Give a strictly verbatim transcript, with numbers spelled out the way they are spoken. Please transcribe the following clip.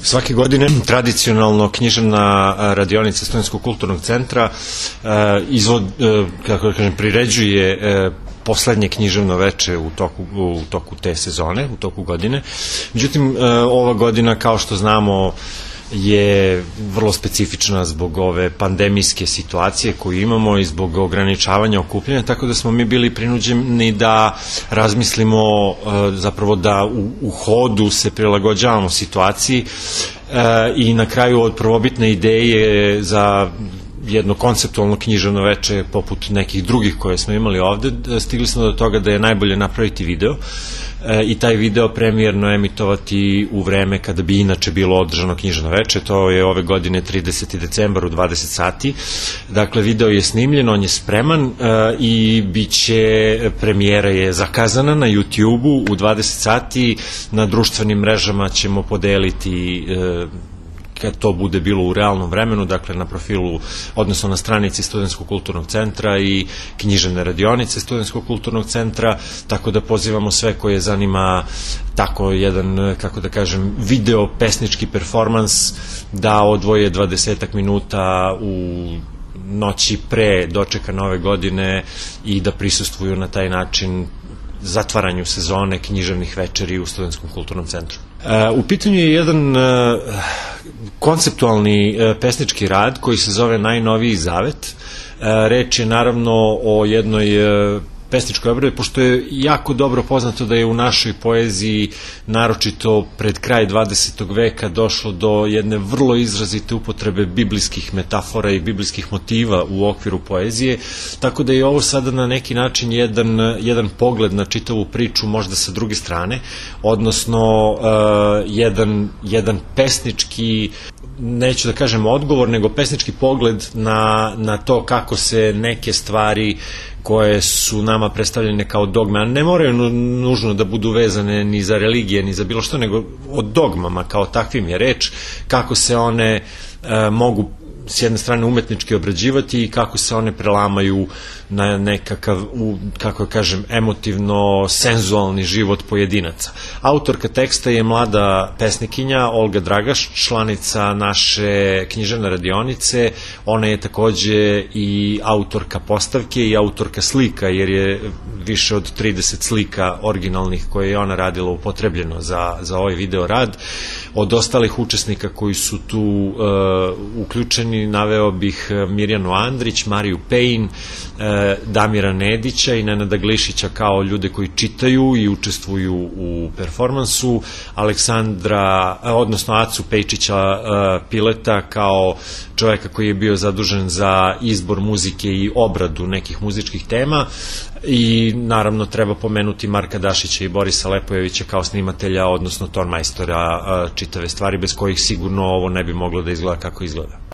Svake godine tradicionalno književna radionica Studentskog kulturnog centra izvod, kako da kažem, priređuje poslednje književno veče u toku, u toku te sezone, u toku godine. Međutim, ova godina, kao što znamo, je vrlo specifična zbog ove pandemijske situacije koju imamo i zbog ograničavanja okupljanja, tako da smo mi bili prinuđeni da razmislimo, zapravo da u, u hodu se prilagođavamo situaciji i na kraju od prvobitne ideje za jedno konceptualno književno veče poput nekih drugih koje smo imali ovde, stigli smo do toga da je najbolje napraviti video i taj video premijerno emitovati u vreme kada bi inače bilo održano književno veče. To je ove godine tridesetog decembra u dvadeset sati. Dakle, video je snimljen, on je spreman i bit će, premijera je zakazana na YouTube-u u dvadeset sati. Na društvenim mrežama ćemo podeliti kad to bude bilo u realnom vremenu, dakle na profilu, odnosno na stranici Studentskog kulturnog centra i književne radionice Studentskog kulturnog centra, tako da pozivamo sve koje zanima tako jedan, kako da kažem, video pesnički performans, da odvoje dvadesetak minuta u noći pre dočeka nove godine i da prisustvuju na taj način zatvaranju sezone književnih večeri u Studentskom kulturnom centru. U pitanju je jedan konceptualni pesnički rad koji se zove Najnoviji zavet. Reč je naravno o jednoj pesničkoj obradi, pošto je jako dobro poznato da je u našoj poeziji, naročito pred kraj dvadesetog veka, došlo do jedne vrlo izrazite upotrebe biblijskih metafora i biblijskih motiva u okviru poezije, tako da je ovo sada na neki način jedan, jedan pogled na čitavu priču, možda sa druge strane, odnosno uh, jedan, jedan pesnički, neću da kažem odgovor, nego pesnički pogled na, na to kako se neke stvari koje su nama predstavljene kao dogme, a ne moraju nužno da budu vezane ni za religije, ni za bilo što, nego o dogmama kao takvim je reč, kako se one e, mogu s jedne strane umetnički obrađivati i kako se one prelamaju na nekakav, u, kako kažem, emotivno senzualni život pojedinaca. Autorka teksta je mlada pesnikinja Olga Dragaš, članica naše književne radionice. Ona je takođe i autorka postavke i autorka slika, jer je više od trideset slika originalnih koje je ona radila upotrebljeno za, za ovaj video rad. Od ostalih učesnika koji su tu uh, uključeni naveo bih Mirjanu Andrić, Mariju Pejn, uh, Damira Nedića i Nenada Glišića kao ljude koji čitaju i učestvuju u performansu, Aleksandra, odnosno Acu Pejčića uh, Pileta kao čoveka koji je bio zadužen za izbor muzike i obradu nekih muzičkih tema, i naravno treba pomenuti Marka Dašića i Borisa Lepojevića kao snimatelja, odnosno tonmajstora čitave stvari, bez kojih sigurno ovo ne bi moglo da izgleda kako izgleda.